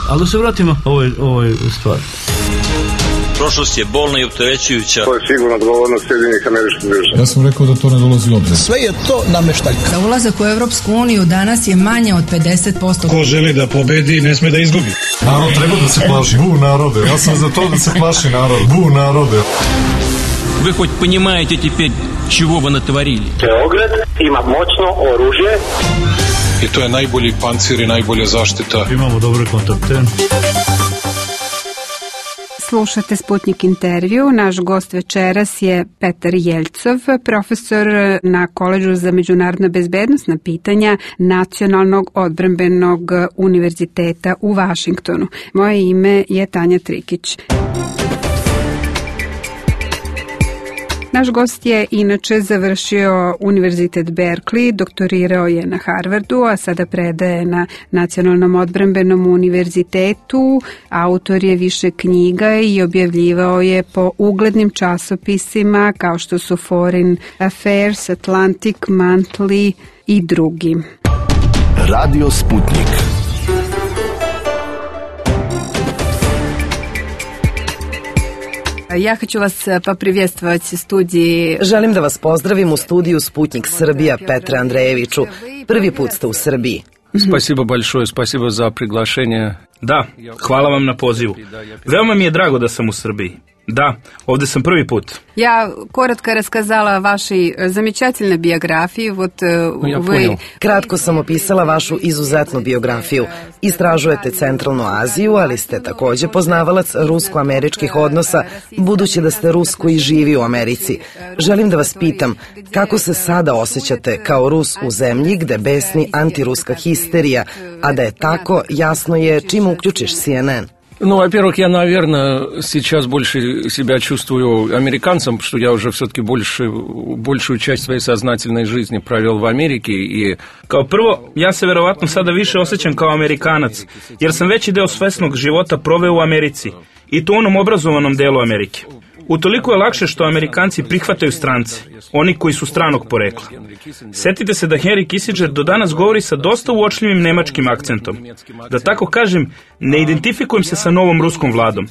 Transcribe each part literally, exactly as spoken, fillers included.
Ali da se vratimo ovoj, ovoj stvari. Prošlost je bolna i opterećujuća. To je sigurno odgovornost Sjedinjenih Američkih Država. Ja sam rekao da to ne dolazi u obzir. Sve je to nameštaljka. Za ulazak u Evropsku uniju danas je manje od pedeset posto. Ko želi da pobedi, ne sme da izgubi. Narod treba da se plaši. Bu narode. Ja sam za to da se plaši narod. Bu narode. Вы хоть понимаете теперь, чего вы натворили? Beograd ima moćno oružje. I to je najbolji pancir i najbolja zaštita. Imamo dobre kontakte. Slušate Sputnik intervju. Naš gost večeras je Petar Jeljcov, profesor na Koledžu za međunarodna bezbednosna pitanja Nacionalnog odbrambenog univerziteta u Vašingtonu. Moje ime je Tanja Trikić. Naš gost je inače završio Univerzitet Berkeley, doktorirao je na Harvardu, a sada predaje na Nacionalnom odbrambenom univerzitetu. Autor je više knjiga i objavljivao je po uglednim časopisima kao što su Foreign Affairs, Atlantic Monthly i drugi. Radio Sputnik. Ja hoću vas poprijevstvovati studiji. Želim da vas pozdravim u studiju Sputnik Srbija, Petre Andrejeviću. Prvi put ste u Srbiji. Спасибо большое, спасибо за приглашение. Da, hvala vam na pozivu. Veoma mi je drago da sam u Srbiji. Da, ovde sam prvi put. Ja korotko raskazala vašoj zamečательnoj biografiji. Вот, ja вы... Kratko sam opisala vašu izuzetnu biografiju. Istražujete Centralnu Aziju, ali ste takođe poznavalac rusko-američkih odnosa, budući da ste Rus koji živi u Americi. Želim da vas pitam, kako se sada osjećate kao Rus u zemlji gde besni antiruska histerija, a da je tako, jasno je čim uključiš C N N. Ну, во-первых, я, наверное, сейчас больше себя чувствую американцем, что я уже все-таки больше, большую часть своей сознательной жизни провел в Америке. И... Kao prvo, ja se verovatno sada više osjećam kao Amerikanac, jer sam veći deo svesnog života proveo u Americi, i to u onom obrazovanom delu Amerike. Utoliko je lakše što Amerikanci prihvataju strance, oni koji su stranog porekla. Setite se da Henry Kissinger do danas govori sa dosta uočljivim nemačkim akcentom. Da tako kažem, ne identifikujem se sa novom ruskom vladom.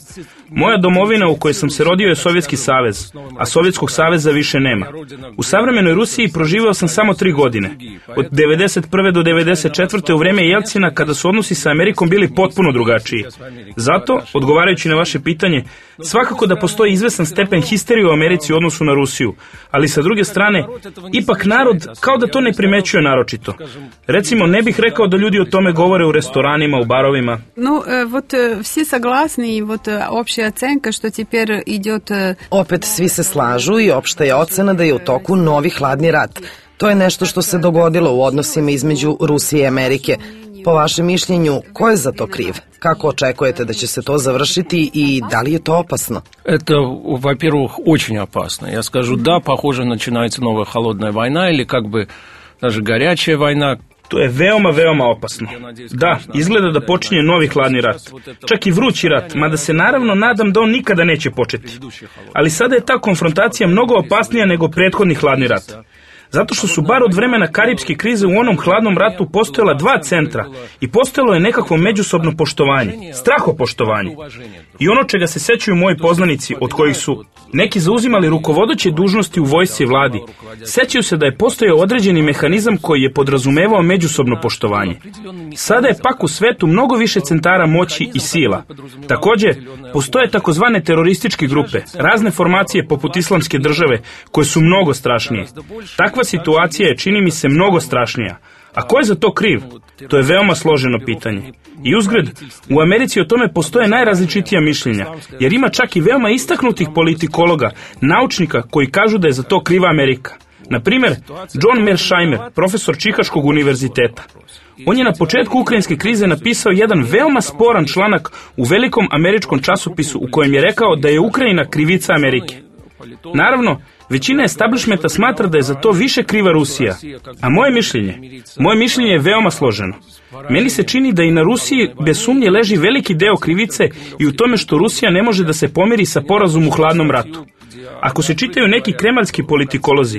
Moja domovina u kojoj sam se rodio je Sovjetski savez, a Sovjetskog saveza više nema. U savremenoj Rusiji proživao sam samo tri godine. Od devedeset prve do devedeset četvrte u vreme Jelcina, kada su odnosi sa Amerikom bili potpuno drugačiji. Zato, odgovarajući na vaše pitanje, svakako da postoji izvesan stepen histerije u Americi u odnosu na Rusiju, ali sa druge strane, ipak narod kao da to ne primećuje naročito. Recimo, ne bih rekao da ljudi o tome govore u restoranima, u barovima. No, вот все согласны, и вот общая оценка, что теперь идет... Opet svi se slažu i opšta je ocena da je u toku novi hladni rat. To je nešto što se dogodilo u odnosima između Rusije i Amerike. Po vašem mišljenju, ko je za to kriv? Kako očekujete da će se to završiti i da li je to opasno? Это, во-первых, очень опасно. Я скажу, да, похоже, начинается новая холодная война или как бы даже горячая война. To je veoma, veoma opasno. Da, izgleda da počinje novi hladni rat. Čak i vrući rat, mada se naravno nadam da on nikada neće početi. Ali sada je ta konfrontacija mnogo opasnija nego prethodni hladni rat. Zato što su bar od vremena Karipske krize u onom hladnom ratu postojala dva centra i postojalo je nekakvo međusobno poštovanje, strahopoštovanje. I ono čega se sećaju moji poznanici, od kojih su neki zauzimali rukovodeće dužnosti u vojsci i vladi, sećaju se da je postojao određeni mehanizam koji je podrazumevao međusobno poštovanje. Sada je pak u svetu mnogo više centara moći i sila. Takođe, postoje takozvane terorističke grupe, razne formacije poput Islamske države, koje su mnogo strašnije. Takva situacija je, čini mi se, mnogo strašnija. A ko je za to kriv? To je veoma složeno pitanje. I uzgred, u Americi o tome postoje najrazličitija mišljenja, jer ima čak i veoma istaknutih politikologa, naučnika koji kažu da je za to kriva Amerika. Na primer, John Mearsheimer, profesor Čikaškog univerziteta. On je na početku ukrajinske krize napisao jedan veoma sporan članak u velikom američkom časopisu u kojem je rekao da je Ukrajina krivica Amerike. Naravno, većina establishmenta smatra da je za to više kriva Rusija. A moje mišljenje, moje mišljenje je veoma složeno. Meni se čini da i na Rusiji bez sumnje leži veliki deo krivice i u tome što Rusija ne može da se pomiri sa porazom u hladnom ratu. ako se čitaju neki kremaljski politikolozi.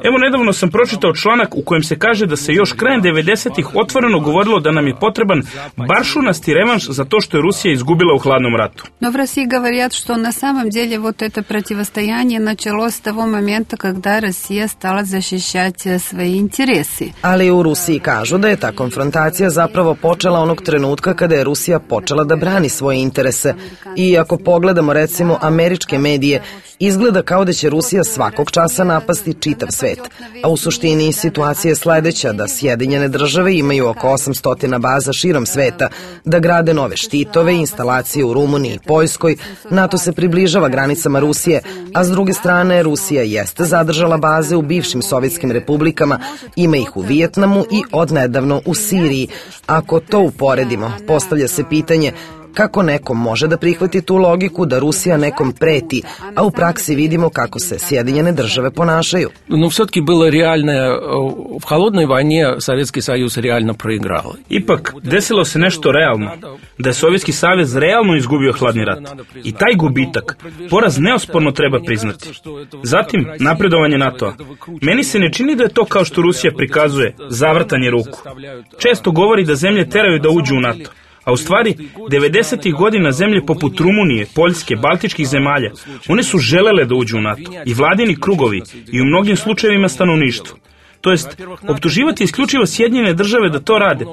Evo, nedavno sam pročitao članak u kojem se kaže da se još krajem devedesetih otvoreno govorilo da nam je potreban baršunasti revanš za to što je Rusija izgubila u hladnom ratu. Но в России говорят, что на самом деле вот это противостояние началось с того момента, когда Россия стала защищать свои интересы. Ali u Rusiji kažu da je ta konfrontacija zapravo počela onog trenutka kada je Rusija počela da brani svoje interese. I ako pogledamo recimo američke medije, izgleda kao da će Rusija svakog časa napasti čitav svet. A u suštini situacija je sledeća, da Sjedinjene države imaju oko osamsto baza širom sveta, da grade nove štitove, instalacije u Rumuniji i Poljskoj, NATO se približava granicama Rusije, a s druge strane Rusija jeste zadržala baze u bivšim sovjetskim republikama, ima ih u Vijetnamu i odnedavno u Siriji. Ako to uporedimo, postavlja se pitanje kako neko može da prihvati tu logiku da Rusija nekom preti, a u praksi vidimo kako se Sjedinjene države ponašaju. No, все-таки было реально, в холодной войне Советский Союз реально проиграл. Ipak, desilo se nešto realno, da je Sovjetski savez realno izgubio hladni rat. I taj gubitak, poraz neosporno treba priznati. Zatim, napredovanje NATO-a. Meni se ne čini da je to kao što Rusija prikazuje, zavrtanje ruku. Često govori da zemlje teraju da uđu u NATO. A u stvari, devedesetih godina zemlje poput Rumunije, Poljske, Baltičkih zemalja, one su želele da uđu u NATO, i vladini krugovi, i u mnogim slučajevima stanovništvo. To jest, optuživati isključivo Sjedinjene države da to rade.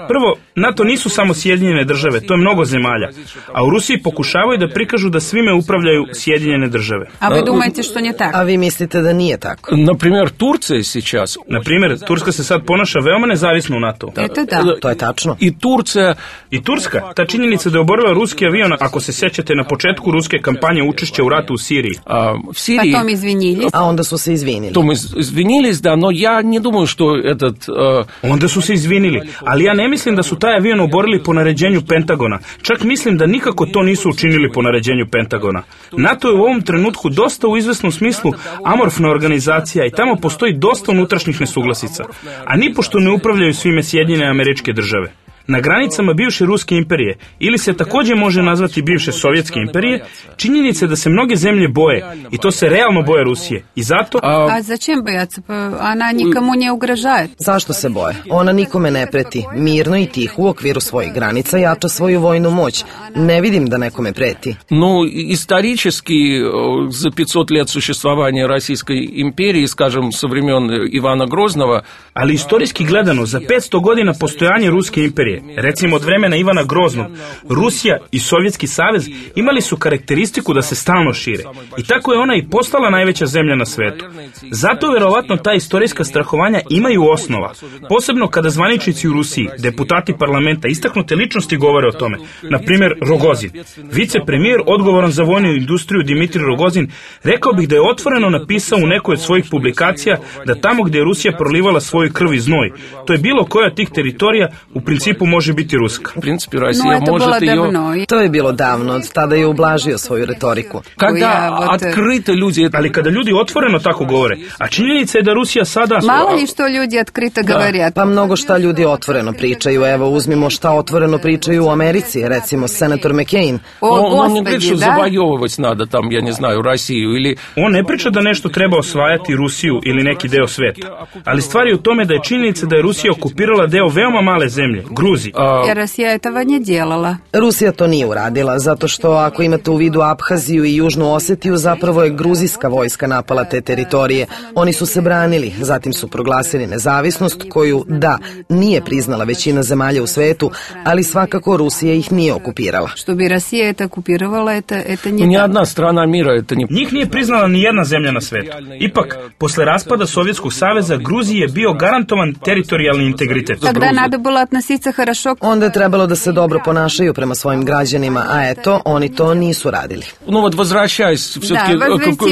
Prvo, NATO nisu samo Sjedinjene države, to je mnogo zemalja, a u Rusiji pokušavaju da prikažu da svime upravljaju Sjedinjene države. A vi думаете, što nije tako? A vi mislite da nije tako? Например, Турция сейчас... Naprimjer, Turska se sad ponaša veoma nezavisno u NATO. Eto da. To je tačno. I Turcija... I Turska, ta činjenica da je oborila ruski avion, ako se sećate na početku ruske kampanje učešća u ratu u Siriji. A, v Siriji... Potom izvinili. A onda su se izvinili. Tom izvinilись, da, no ja не думаю, что этот... Uh... Onda su se izvinili, ali ja ne mislim da su taj avion oborili po naređenju Pentagona. Čak mislim da nikako to nisu učinili po naređenju Pentagona. NATO je u ovom trenutku dosta u izvesnom smislu amorfna organizacija i tamo postoji dosta unutrašnjih nesuglasica. A nipošto ne upravljaju svime Sjedinjene Američke Države. Na granicama bivše Ruske imperije, ili se također može nazvati bivše Sovjetske imperije, činjenica je da se mnoge zemlje boje, i to se realno boje Rusije. I zato... A, a začem bojaca? Pa ona nikomu ne ugražaje. Zašto se boje? Ona nikome ne preti. Mirno i tiho u okviru svojih granica jača svoju vojnu moć. Ne vidim da nekome preti. Ну, исторически, за пятьсот лет существования Российской империи, скажем, со времен Ивана Грозного... Ali istorijski gledano, za petsto godina postojanja Ruske imperije, recimo od vremena Ivana Groznog, Rusija i Sovjetski savez imali su karakteristiku da se stalno šire. I tako je ona i postala najveća zemlja na svetu. Zato verovatno ta istorijska strahovanja imaju osnova. Posebno kada zvaničnici u Rusiji, deputati parlamenta, istaknute ličnosti govore o tome. Na primjer, Rogozin. Vicepremijer odgovoran za vojnu industriju Dimitrij Rogozin rekao bih da je otvoreno napisao u nekoj od svojih publikacija da tamo gdje je Rusija prolivala svoju krv i znoj, to je bilo koja od tih teritorija u principu može biti ruska. U principu, Rusija no, može jo... To je bilo davno, od tada je ublažio svoju retoriku. Kada otkrito ljudi... Ali kada ljudi otvoreno tako govore, a činjenica je da Rusija sada... Malo li što ljudi otkrito govorят? Pa mnogo šta ljudi otvoreno pričaju. Evo, uzmimo šta otvoreno pričaju u Americi, recimo senator McCain. O, on, on ne priča da zavajovati nada tam, ja ne znaju, Rusiju ili... On ne priča da nešto treba osvajati Rusiju ili neki deo sveta. Ali stvar je u tome da je činjenica da je Rusija okupirala deo veoma male zemlje, Gruziji. Jer Rusija je toga nije djelala. Rusija to nije uradila, zato što ako imate u vidu Abhaziju i Južnu Osetiju, zapravo je gruzijska vojska napala te teritorije. Oni su se branili, zatim su proglasili nezavisnost koju, da, nije priznala većina zemalja u svetu, ali svakako Rusija ih nije okupirala. Što bi Rusija eta okupirala, eta, eta nije... Nijedna strana mira, eta nije... Njih nije priznala ni jedna zemlja na svetu. Ipak, posle raspada Sovjetskog saveza, Gruziji je bio garantovan teritorijalni integritet. Тогда надо было относиться хорошо. Onda je trebalo da se dobro ponašaju prema svojim građanima, a eto, oni to nisu radili. Ну вот, возвращаясь все-таки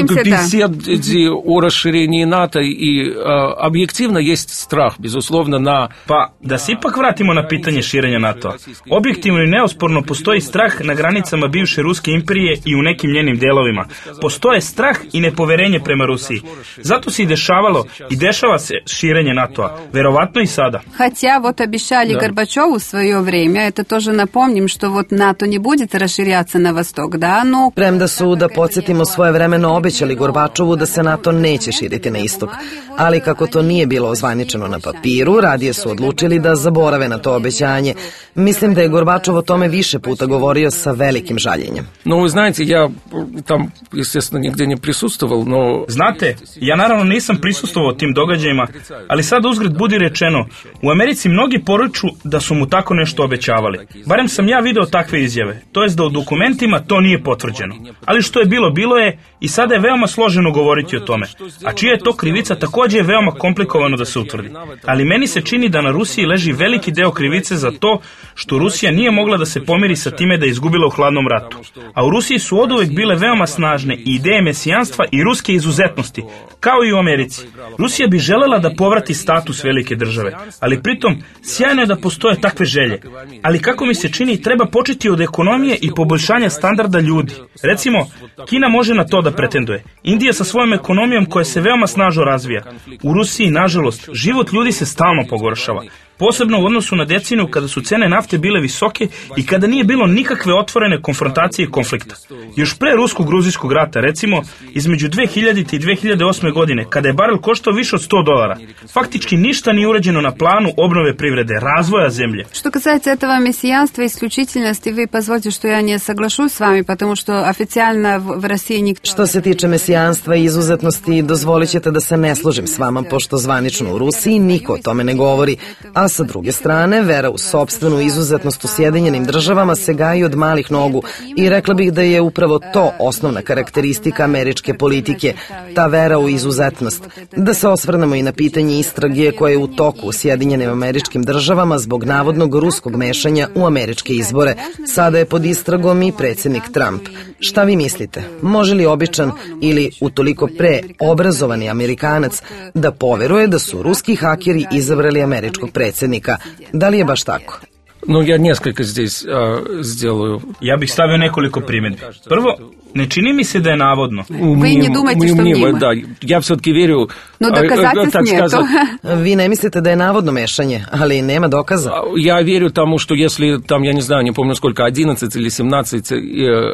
к беседе о расширении НАТО, и объективно есть страх, безусловно, на... Pa, da se ipak vratimo na pitanje širenja NATO-a. Objektivno i neosporno postoji strah na granicama bivše Ruske imperije i u nekim njenim delovima. Postoje strah i nepoverenje prema Rusiji. Zato se i dešavalo i dešava se širenje NATO-a. Verovatno i sada. Хотя вот обещали Горбачев Горбачов в свое время, это тоже напомним, что вот НАТО не будет расширяться на восток, да, но... Premda su, da podsjetimo, svojevremeno obećali Gorbačovu da se NATO neće širiti na istok, ali kako to nije bilo ozvaničeno na papiru, radije su odlučili da zaborave na to obećanje. Mislim da je Gorbačov o tome više puta govorio sa velikim žaljenjem. No, вы знаете, я там, естественно, nigdje ne prisustoval, no... Znate, ja naravno nisam prisustvovao tim događajima, ali sad uzgred budi rečeno, u Americi mnogi poruču da su mu tako nešto obećavali. Barem sam ja video takve izjave, to jest da u dokumentima to nije potvrđeno. Ali što je bilo, bilo je i sada je veoma složeno govoriti o tome. A čija je to krivica također je veoma komplikovano da se utvrdi. Ali meni se čini da na Rusiji leži veliki deo krivice za to što Rusija nije mogla da se pomiri sa time da je izgubila u hladnom ratu. A u Rusiji su oduvek bile veoma snažne i ideje mesijanstva i ruske izuzetnosti, kao i u Americi. Rusija bi želela da povrati status velike države, ali pritom sjajno je da postoje takve želje. Ali kako mi se čini, treba početi od ekonomije i poboljšanja standarda ljudi. Recimo, Kina može na to da pretenduje. Indija sa svojom ekonomijom koja se veoma snažno razvija. U Rusiji, nažalost, život ljudi se stalno pogoršava. Posebno u odnosu na deceniju kada su cene nafte bile visoke i kada nije bilo nikakve otvorene konfrontacije i konflikta. Još pre rusko-gruzijskog rata, recimo, između dve hiljadite i dve hiljade osme godine, kada je barel koštao više od sto dolara, faktički ništa nije urađeno na planu obnove privrede, razvoja zemlje. Что касается этого мессиянства и исключительности, вы позвольте, что я не соглашусь с вами, потому что официально в России никто... Što se tiče mesijanstva i izuzetnosti, dozvolit ćete da se ne složim s vama, pošto zvanično u Rusiji niko o tome ne govori, a sa druge strane, vera u sopstvenu izuzetnost u Sjedinjenim državama se gaji od malih nogu i rekla bih da je upravo to osnovna karakteristika američke politike, ta vera u izuzetnost. Da se osvrnemo i na pitanje istrage koje je u toku u Sjedinjenim američkim državama zbog navodnog ruskog mešanja u američke izbore. Sada je pod istragom i predsjednik Trump. Šta vi mislite? Može li običan ili utoliko pre obrazovani Amerikanac da poveruje da su ruski hakeri izabrali američkog predsjednika? Da li je baš tako? No, ja nесколько здесь а, сделаю. Ja bih stavio nekoliko primjedbi. Prvo, ne čini mi se da je navodno. Vi ne думаете, što njima. Da, ja все-таки верю. No, doказательств нету. Vi ne mislite da je navodno mešanje, ali nema dokaza. Ja верю тому, что если там, я не знаю, не помню сколько, одиннадцать или семнадцать...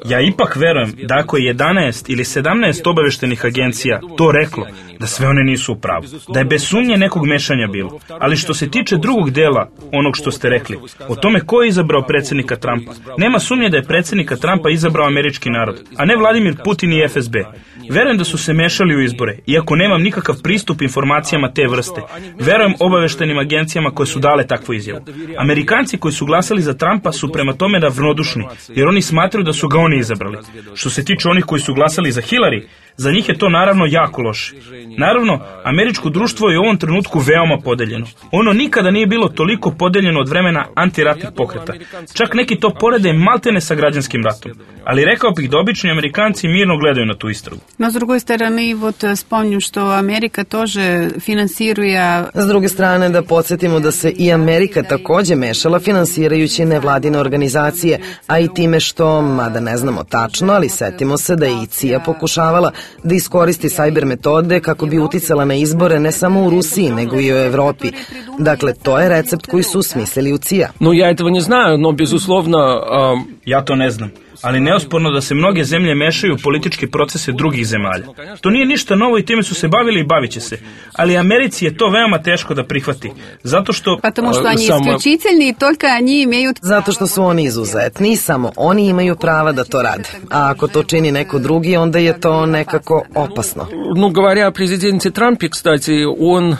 Ja ipak verujem da ako je jedanaest ili sedamnaest obaveštenih agencija to reklo, da sve one nisu u pravu. Da je bez sumnje nekog mešanja bilo. Ali što se tiče drugog dela onog što ste rekli, o tome ko je izabrao predsjednika Trumpa, nema sumnje da je predsjednika Trumpa izabrao američki narod, a ne Vladimir Putin i F S B. Verujem da su se mešali u izbore, iako nemam nikakav pristup informacijama te vrste. Verujem obaveštenim agencijama koje su dale takvu izjavu. Amerikanci koji su glasali za Trumpa su prema tome ravnodušni, jer oni smatraju da su ga oni izabrali. Što se tiče onih koji su glasali za Hillary, za njih je to naravno jako loše. Naravno, američko društvo je u ovom trenutku veoma podeljeno. Ono nikada nije bilo toliko podeljeno od vremena antiratnih pokreta. Čak neki to porede maltene sa građanskim ratom. Ali rekao bih da obični Amerikanci mirno gledaju na tu istragu. No, s другой стороны, вот вспомним, что Америка тоже финансируя... S druge strane, da podsjetimo da se i Amerika takođe mešala finansirajući nevladine organizacije, a i time što, mada ne znamo tačno, ali setimo se da je i C I A pokušavala da iskoristi sajber metode kako bi uticala na izbore ne samo u Rusiji, nego i u Evropi. Dakle, to je recept koji su smislili u C I A. No, ja этого не знаю, но, безусловно... Um... Ja to ne znam. Ali neosporno da se mnoge zemlje mešaju u političke procese drugih zemalja. To nije ništa novo i time su se bavili i bavit će se. Ali Americi je to veoma teško da prihvati. Zato što... Потому что они исключительны и только они имеют... Zato što su oni izuzetni i samo oni imaju prava da to rade. A ako to čini neko drugi, onda je to nekako opasno. Ну, говоря о президенте Трампе, кстати, он...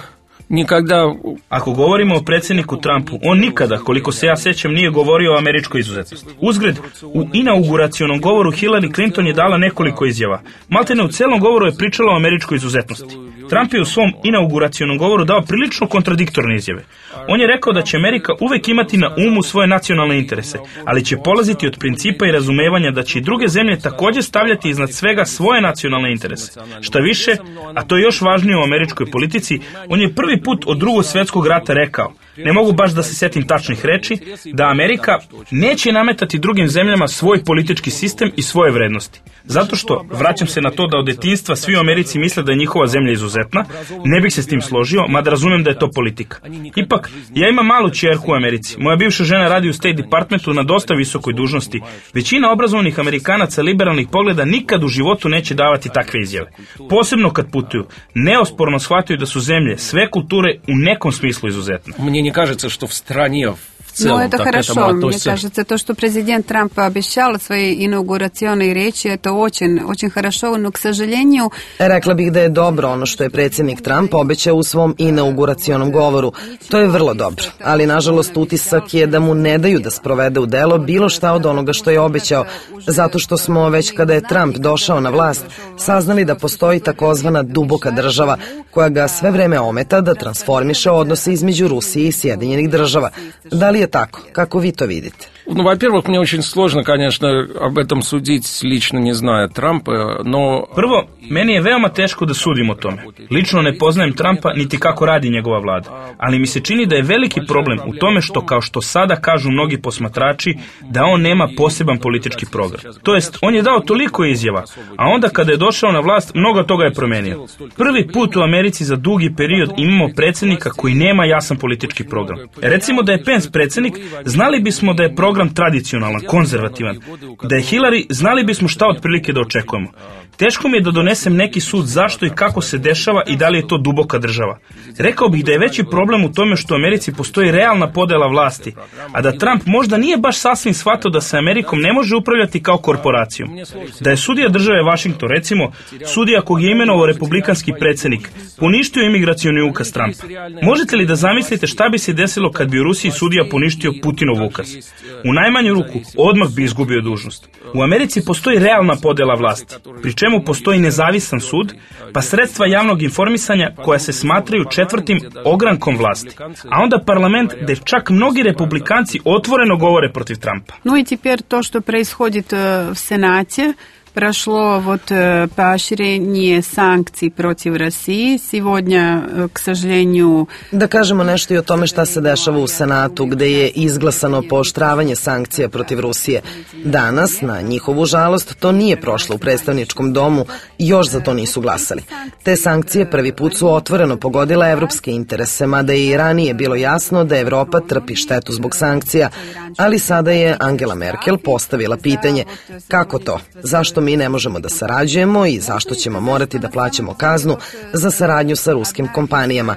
Nikada... Ako govorimo o predsjedniku Trumpu, on nikada, koliko se ja sećam, nije govorio o američkoj izuzetnosti. Uzgred, u inauguracionom govoru Hillary Clinton je dala nekoliko izjava. Maltene u celom govoru je pričala o američkoj izuzetnosti. Trump je u svom inauguracionom govoru dao prilično kontradiktorne izjave. On je rekao da će Amerika uvek imati na umu svoje nacionalne interese, ali će polaziti od principa i razumevanja da će i druge zemlje također stavljati iznad svega svoje nacionalne interese. Šta više, a to je još važnije u američkoj politici, on je prvi put od Drugog svjetskog rata rekao ne mogu baš da se setim tačnih reči, da Amerika neće nametati drugim zemljama svoj politički sistem i svoje vrednosti. Zato što, vraćam se na to da od detinjstva svi u Americi misle da je njihova zemlja izuzetna, ne bih se s tim složio, mada razumem da je to politika. Ipak, ja imam malu ćerku u Americi. Moja bivša žena radi u State Departmentu na dosta visokoj dužnosti. Većina obrazovanih Amerikanaca liberalnih pogleda nikad u životu neće davati takve izjave. Posebno kad putuju, neosporno shvataju da su zemlje sve kulture u nekom smislu izuzetne. Мне не кажется, что в стране в целом Но это так хорошо. к этому относятся. Мне кажется, то, что президент Трамп обещал свои инаугурационные речи, это очень, очень хорошо, но, к сожалению... Rekla bih da je dobro ono što je predsjednik Trump obećao u svom inauguracionom govoru. To je vrlo dobro, ali nažalost utisak je da mu ne daju da sprovede u delo bilo šta od onoga što je obećao, zato što smo već kada je Trump došao na vlast saznali da postoji takozvana duboka država koja ga sve vreme ometa da transformiše odnose između Rusije i Sjedinjenih država. Da li je tako? Kako vi to vidite? Ну, во-первых, мне очень сложно, конечно, об этом судить, лично не зная Трампа, но... Prvo, meni je veoma teško da sudim o tome. Lično ne poznajem Trumpa niti kako radi njegova vlada, ali mi se čini da je veliki problem u tome što, kao što sada kažu mnogi posmatrači, da on nema poseban politički program. To jest, on je dao toliko izjava, a onda kada je došao na vlast, mnogo toga je promenio. Prvi put u Americi za dugi period imamo predsjednika koji nema jasan politički program. Recimo da je Pence predsjednik, znali bismo da je program program tradicionalan, konzervativan. Da je Hillary, znali bismo šta otprilike da očekujemo. Teško mi je da donesem neki sud zašto i kako se dešava i da li je to duboka država. Rekao bih da je veći problem u tome što u Americi postoji realna podela vlasti, a da Trump možda nije baš sasvim shvatio da se Amerikom ne može upravljati kao korporacijom. Da je sudija države Washington, recimo, sudija kog je imenovao republikanski predsjednik, poništio imigracioni ukaz Trumpa. Možete li da zamislite šta bi se desilo kad bi u Rusiji sudija poništio Putinov ukaz? U najmanju ruku, odmah bi izgubio dužnost. U Americi postoji realna podela vlasti, pri čemu postoji nezavisan sud, pa sredstva javnog informisanja koja se smatraju četvrtim ogrankom vlasti. A onda parlament gde čak mnogi republikanci otvoreno govore protiv Trumpa. Ну и теперь то, что происходит в Сенате, прошло вот поощрение санкций против России. Сегодня, к сожалению... Da kažemo nešto i o tome šta se dešava u Senatu, gde je izglasano pooštravanje sankcija protiv Rusije. Danas, na njihovu žalost, to nije prošlo u predstavničkom domu i još za to nisu glasali. Te sankcije prvi put su otvoreno pogodile evropske interese, mada je i ranije bilo jasno da Evropa trpi štetu zbog sankcija, ali sada je Angela Merkel postavila pitanje kako to, zašto mi ne možemo da sarađujemo i zašto ćemo morati da plaćamo kaznu za saradnju sa ruskim kompanijama.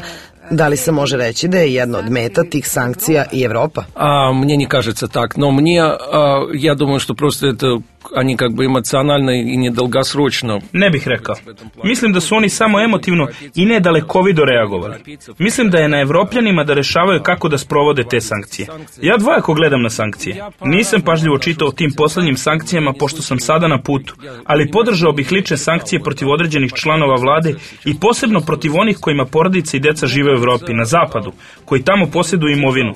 Da li se može reći da je jedna od meta tih sankcija i Evropa? А, мне не кажется так, но мне, а, я думаю, что просто это они как бы эмоционально и недолгосрочно. Ne bih rekao. Mislim da su oni samo emotivno i nedalekovido reagovali. Mislim da je na Evropljanima da rešavaju kako da sprovode te sankcije. Ja dvojako gledam na sankcije. Nisam pažljivo čitao o tim poslednjim sankcijama pošto sam sada na putu, ali podržao bih lične sankcije protiv određenih članova vlade i posebno protiv onih kojima porodice i deca žive u Evropi, na zapadu, koji tamo posjeduju imovinu.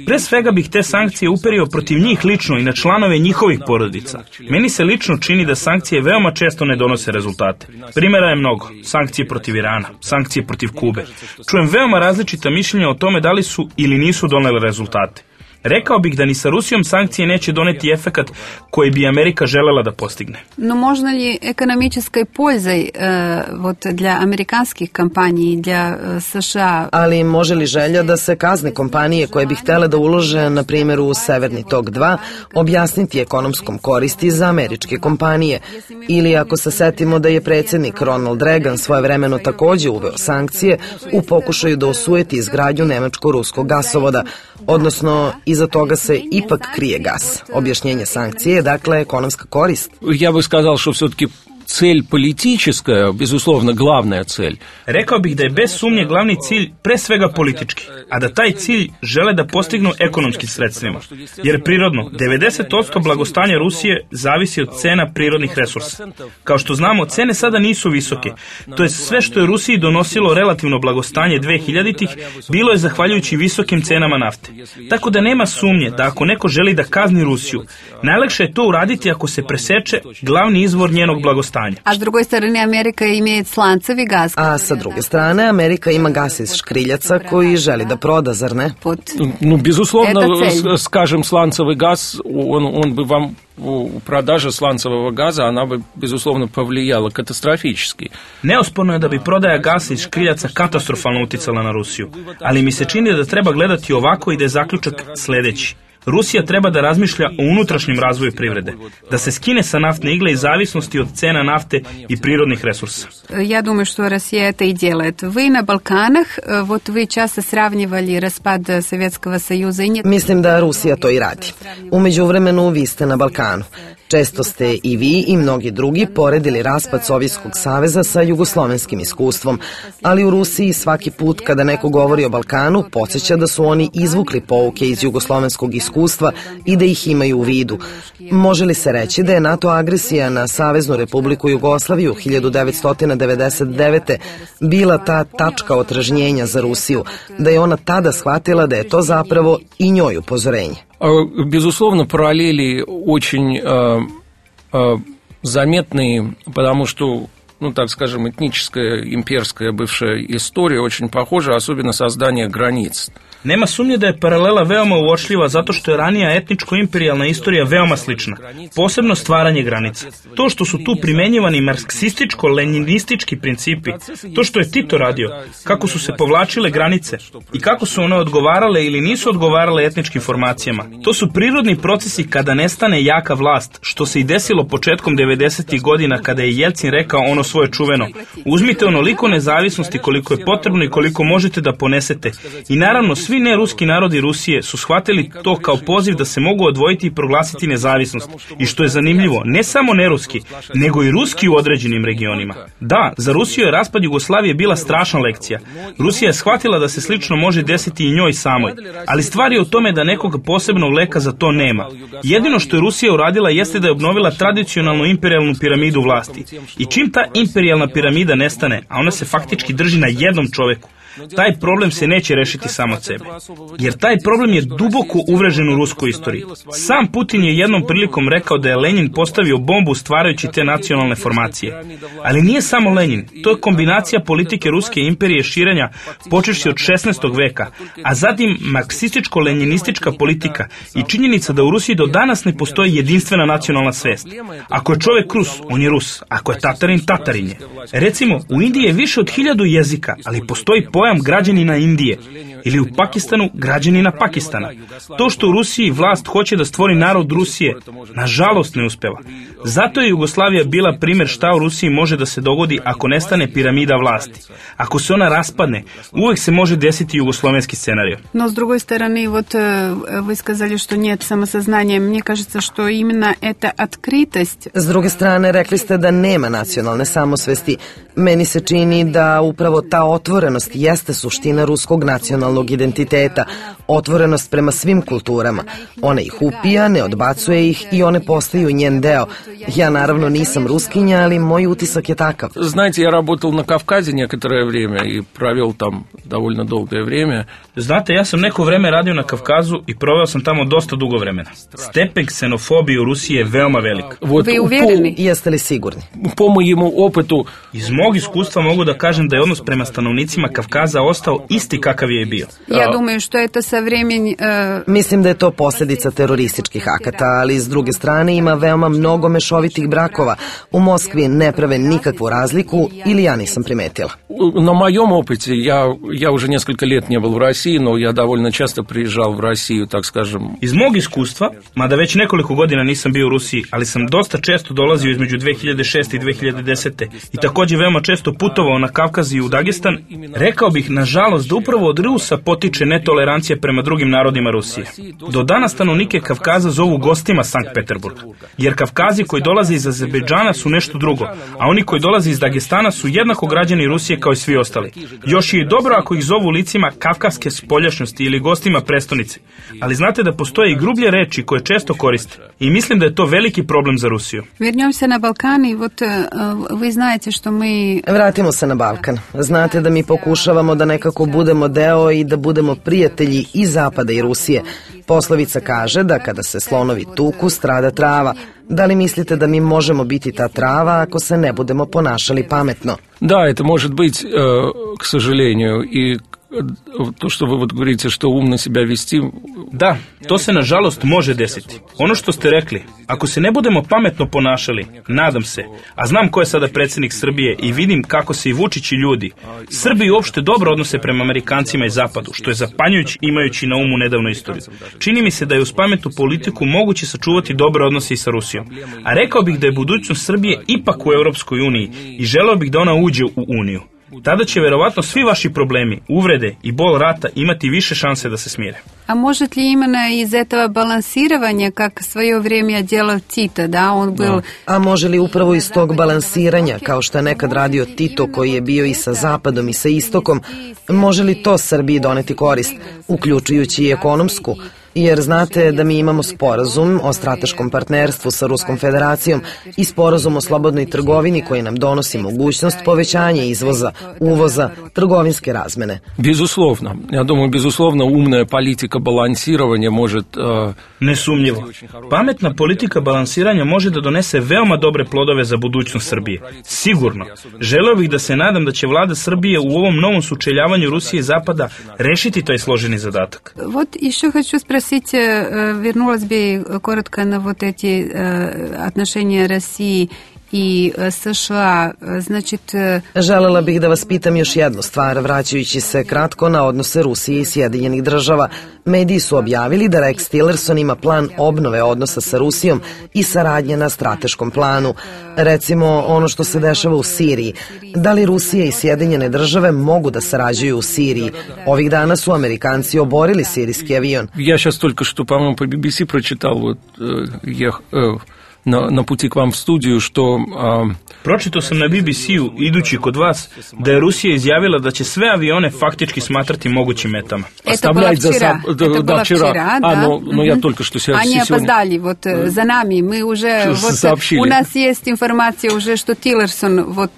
Pre svega bih te sankcije uperio protiv njih lično i na članove njihovih porodica. Meni se lično čini da sankcije veoma često ne donose rezultate. Primjera je mnogo. Sankcije protiv Irana, sankcije protiv Kube. Čujem veoma različita mišljenja o tome da li su ili nisu donele rezultate. Rekao bih da ni sa Rusijom sankcije neće doneti efekat koji bi Amerika želela da postigne. Но можно ли экономической пользой э, вот для американских компаний и для э, США? Ali može li želja da se kazne kompanije koje bi htele da ulože, na primjer, u Severni tok dva, objasniti ekonomskom koristi za američke kompanije? Ili ako se setimo da je predsjednik Ronald Reagan svojevremeno takođe uveo sankcije u pokušaju da osujeti izgradnju nemačko-ruskog gasovoda, odnosno iza toga se ipak krije gas. Objašnjenje sankcije je dakle ekonomska korist. Я бы сказал, что все-таки цель политическая, безусловно, главная цель. Rekao bih da je bez sumnje glavni cilj pre svega politički, a da taj cilj žele da postignu ekonomskim sredstvima. Jer prirodno, devedeset posto blagostanja Rusije zavisi od cena prirodnih resursa. Kao što znamo, cene sada nisu visoke. To je sve što je Rusiji donosilo relativno blagostanje dvehiljaditih, bilo je zahvaljujući visokim cenama nafte. Tako da nema sumnje da ako neko želi da kazni Rusiju, najlakše je to uraditi ako se preseče glavni izvor njenog blagostanja. stanja. A s druge strane Amerika ima slancevi gas. A sa druge strane Amerika ima gas iz škriljaca koji želi da proda, zar ne? Ну, безусловно, скажем, сланцевый газ, он, он бы вам, продажа сланцевого газа, она бы, безусловно, повлияла катастрофически. Neosporno je da bi prodaja gasa iz škriljaca katastrofalno uticala na Rusiju, ali mi se čini da treba gledati ovako i da je zaključak sledeći. Rusija treba da razmišlja o unutrašnjem razvoju privrede, da se skine sa naftne igle i zavisnosti od cena nafte i prirodnih resursa. Я думаю, что Россия это и делает. Вы на Балканах, вот вы часто сравнивали распад Советского Союза и нет. Mislim da Rusija to i radi. U međuvremenu vi ste na Balkanu. Često ste i vi i mnogi drugi poredili raspad Sovjetskog saveza sa jugoslovenskim iskustvom, ali u Rusiji svaki put kada neko govori o Balkanu podsjeća da su oni izvukli pouke iz jugoslovenskog iskustva i da ih imaju u vidu. Može li se reći da je NATO agresija na Saveznu Republiku Jugoslaviju hiljadu devetsto devedeset devete. bila ta tačka otražnjenja za Rusiju, da je ona tada shvatila da je to zapravo i njoj upozorenje? Безусловно, параллели очень э, э, заметные, потому что, ну, так скажем, этническая, имперская бывшая история очень похожа, особенно создание границ. Nema sumnje da je paralela veoma uočljiva zato što je ranija etničko-imperijalna istorija veoma slična, posebno stvaranje granica. To što su tu primenjivani marksističko-leninistički principi, to što je Tito radio, kako su se povlačile granice i kako su one odgovarale ili nisu odgovarale etničkim formacijama, to su prirodni procesi kada nestane jaka vlast, što se i desilo početkom devedesetih godina kada je Jelcin rekao ono svoje čuveno: uzmite onoliko nezavisnosti koliko je potrebno i koliko možete da ponesete. I naravno svi ne ruski narodi Rusije su shvatili to kao poziv da se mogu odvojiti i proglasiti nezavisnost. I što je zanimljivo, ne samo neruski, nego i ruski u određenim regionima. Da, za Rusiju je raspad Jugoslavije bila strašna lekcija. Rusija je shvatila da se slično može desiti i njoj samoj, ali stvar je u tome da nekog posebnog leka za to nema. Jedino što je Rusija uradila jeste da je obnovila tradicionalnu imperijalnu piramidu vlasti. I čim ta imperijalna piramida nestane, a ona se faktički drži na jednom čoveku, taj problem se neće rešiti samo od sebe. Jer taj problem je duboko uvrežen u ruskoj istoriji. Sam Putin je jednom prilikom rekao da je Lenin postavio bombu stvarajući te nacionalne formacije. Ali nije samo Lenin, to je kombinacija politike ruske imperije širenja počevši od šesnaestog veka, a zatim marksističko-leninistička politika i činjenica da u Rusiji do danas ne postoji jedinstvena nacionalna svest. Ako je čovek Rus, on je Rus. Ako je Tatarin, Tatarin je. Recimo, u Indiji je više od hiljadu jezika, ali postoji pojam građanina Indije, ili u Pakistanu građanina Pakistana. To što u Rusiji vlast hoće da stvori narod Rusije, nažalost ne uspeva. Zato je Jugoslavija bila primjer šta u Rusiji može da se dogodi ako nestane piramida vlasti. Ako se ona raspadne, uvek se može desiti jugoslovenski scenarij. Но с другой стороны, вот вы сказали, что нет самосознания. Мне кажется, что именно эта открытость. S druge strane, rekli ste da nema nacionalne samosvesti. Meni se čini da upravo ta otvorenost jeste suština ruskog nacionalnog identiteta, otvorenost prema svim kulturama. Ona ih upija, ne odbacuje ih i one postaju njen deo. Ja naravno nisam Ruskinja, ali moj utisak je takav. Знаете, я работал на Кавказе некоторое время и провел там довольно долгое время. Znate, ja sam neko vreme radio na Kavkazu i proveo sam tamo dosta dugo vremena. Stepen ksenofobije u Rusiji je veoma velik. Вот, Вы уверены? Jeste li sigurni? По моему опыту, iz mog iskustva mogu da kažem da je odnos prema stanovnicima Kavkaza ostao isti kakav je bio. Я думаю, что это со времени... Э... Mislim da je to posljedica terorističkih akata, ali s druge strane ima veoma mnogo mešovitih brakova. U Moskvi ne prave nikakvu razliku ili ja nisam primetila. На моем опыте, я, я уже несколько лет не был в России, но я довольно часто приезжал в Россию, так скажем. Iz mog iskustva, mada već nekoliko godina nisam bio u Rusiji, ali sam dosta često dolazio između dve hiljade šeste i dve hiljade desete i također veoma često putovao na Kavkaz i u Dagestan, rekao bih, nažalost, da upravo od Rusa potiče netolerancija prema drugim narodima Rusije. Do danas stanovnike Kavkaza zovu gostima Sankt Peterburga, jer Kavkazi koji dolaze iz Azerbejdžana su nešto drugo, a oni koji dolaze iz Dagestana su jednako građani Rusije kao i svi ostali. Još je i dobro ako ih zovu licima kavkaske spoljašnjosti ili gostima prestonice, ali znate da postoje i grublje reči koje često koriste i mislim da je to veliki problem za Rusiju. Вернемся на Балкан, и вот вы знаете, что мы... Vratimo se na Balkan. Znate da mi pokušavamo da nekako budemo deo i da budemo prijatelji i Zapada i Rusije. Poslovica kaže da kada se slonovi tuku, strada trava. Da li mislite da mi možemo biti ta trava ako se ne budemo ponašali pametno? Да, это может быть, к сожалению, и to što vi govorite, što umno себя вести. Da, to se nažalost može desiti. Ono što ste rekli, ako se ne budemo pametno ponašali, nadam se, a znam ko je sada predsjednik Srbije i vidim kako se i Vučić i ljudi, Srbi uopšte dobro odnose prema Amerikancima i Zapadu, što je zapanjujući imajući na umu nedavnu istoriju. Čini mi se da je uz pametnu politiku moguće sačuvati dobre odnose i sa Rusijom. A rekao bih da je budućnost Srbije ipak u Europskoj uniji i želeo bih da ona uđe u Uniju. Tada će verovatno svi vaši problemi, uvrede i bol rata imati više šanse da se smire. А может ли именно из этого балансирования, как в свое время делал Тито, да, он был... A može li upravo iz tog balansiranja, kao što je nekad radio Tito koji je bio i sa Zapadom i sa Istokom, može li to Srbiji doneti korist, uključujući i ekonomsku? Jer znate da mi imamo sporazum o strateškom partnerstvu sa Ruskom federacijom i sporazum o slobodnoj trgovini koji nam donosi mogućnost povećanja izvoza, uvoza, trgovinske razmene. Безусловно. Я думаю, безусловно, умная политика балансирования может... Uh... Nesumnjivo. Pametna politika balansiranja može da donese veoma dobre plodove za budućnost Srbije. Sigurno. Želeo bih da se nadam da će vlada Srbije u ovom novom sučeljavanju Rusije i Zapada rešiti taj složeni zadatak. Вот еще хочу спросить, вернулась бы коротко на вот эти отношения России i США, znači... Želela bih da vas pitam još jednu stvar, vraćajući se kratko na odnose Rusije i Sjedinjenih država. Mediji su objavili da Rex Tillerson ima plan obnove odnosa sa Rusijom i saradnje na strateškom planu. Recimo, ono što se dešava u Siriji. Da li Rusija i Sjedinjene države mogu da sarađuju u Siriji? Ovih dana su Amerikanci oborili sirijski avion. Ja сейчас только что, по-моему, по би би си прочитал, вот, я... Na, na puti k vam v studiju, što... A... Pročitao sam na bi bi si-u, idući kod vas, da je Rusija izjavila da će sve avione faktički smatrati mogućim metama. Это было вчера, это было вчера, да. А, но, но я только что сегодня... Они опоздали, вот за нами, мы уже... Вот, у нас есть информация уже, что Tillerson, вот...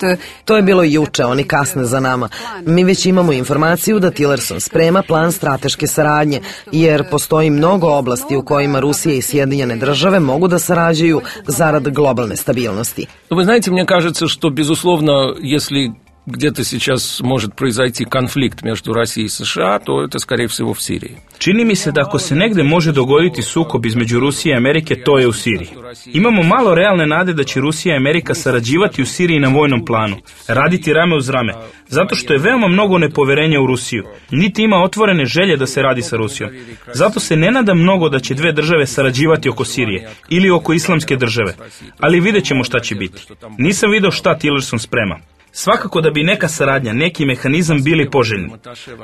To je bilo juče, oni kasne za nama. Mi već imamo informaciju da Tillerson sprema plan strateške saradnje, jer postoji mnogo oblasti u kojima Rusija i Sjedinjene države mogu da sarađuju зарад глобальной стабильности. Вы знаете, мне кажется, что, безусловно, если где-то сейчас может произойти конфликт между Россией и США, то это, скорее всего, в Сирии. Čini mi se da ako se negde može dogoditi sukob između Rusije i Amerike, to je u Siriji. Imamo malo realne nade da će Rusija i Amerika sarađivati u Siriji na vojnom planu, raditi rame uz rame, zato što je veoma mnogo nepoverenja u Rusiju, niti ima otvorene želje da se radi sa Rusijom. Zato se ne nada mnogo da će dve države sarađivati oko Sirije ili oko islamske države, ali vidjet ćemo šta će biti. Nisam video šta Tillerson sprema. Svakako da bi neka saradnja, neki mehanizam bili poželjni.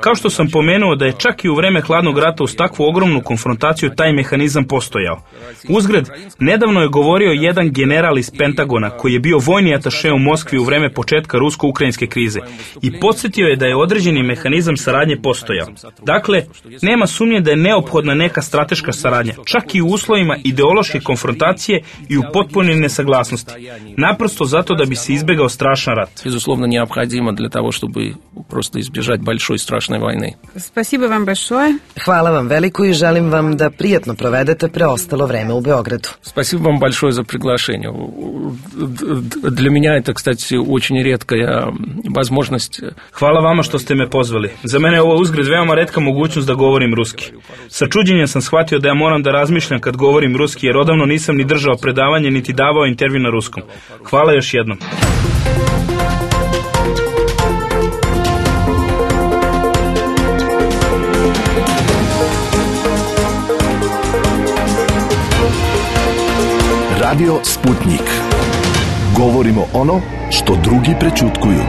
Kao što sam pomenuo da je čak i u vreme hladnog rata uz takvu ogromnu konfrontaciju taj mehanizam postojao. Uzgred, nedavno je govorio jedan general iz Pentagona koji je bio vojni ataše u Moskvi u vreme početka rusko-ukrajinske krize i podsjetio je da je određeni mehanizam saradnje postojao. Dakle, nema sumnje da je neophodna neka strateška saradnja, čak i u uslovima ideološke konfrontacije i u potpunoj nesaglasnosti. Naprosto zato da bi se izbegao strašan rat. Безусловно, необходимо для того, чтобы просто избежать большой страшной войны. Спасибо вам большое. Hvala vam veliko i želim vam da prijatno provedete preostalo vreme u Beogradu. Спасибо вам большое за приглашение. Для меня это, кстати, очень редкая возможность. Hvala vama što ste me pozvali. Za mene je ovo uzgred veoma retka mogućnost da govorim ruski. Sa čuđenjem sam shvatio da ja moram da razmišljam kad govorim ruski, jer odavno nisam ni držao predavanje, niti davao intervju na ruskom. Hvala još jednom. Radio Sputnik. Govorimo ono što drugi prećutkuju.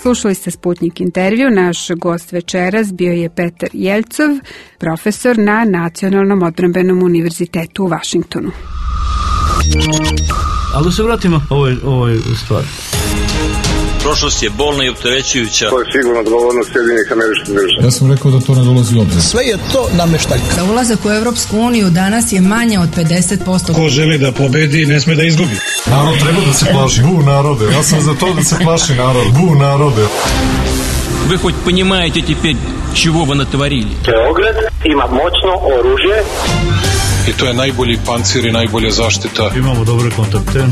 Slušali ste Sputnik intervju. Naš gost večeras bio je Petar Jeljcov, profesor na Nacionalnom odbrambenom univerzitetu u Vašingtonu. Ali se vratimo ovoj, ovoj stvari. Prošlost je bolna i opterećujuća. To je sigurno odgovornost Sjedinjenih Američkih Država. Ja sam rekao da to ne dolazi u obzir. Sve je to nameštaljka. Za ulazak u Evropsku uniju danas je manje od pedeset posto. Ko želi da pobedi, ne sme da izgubi. Narod treba da se plaši. Bu narode, ja sam za to da se plaši narod. Bu narode. Вы хоть понимаете теперь, чего вы натворили? Beograd ima moćno oružje. I to je najbolji pancir i najbolja zaštita. Imamo dobre kontakte.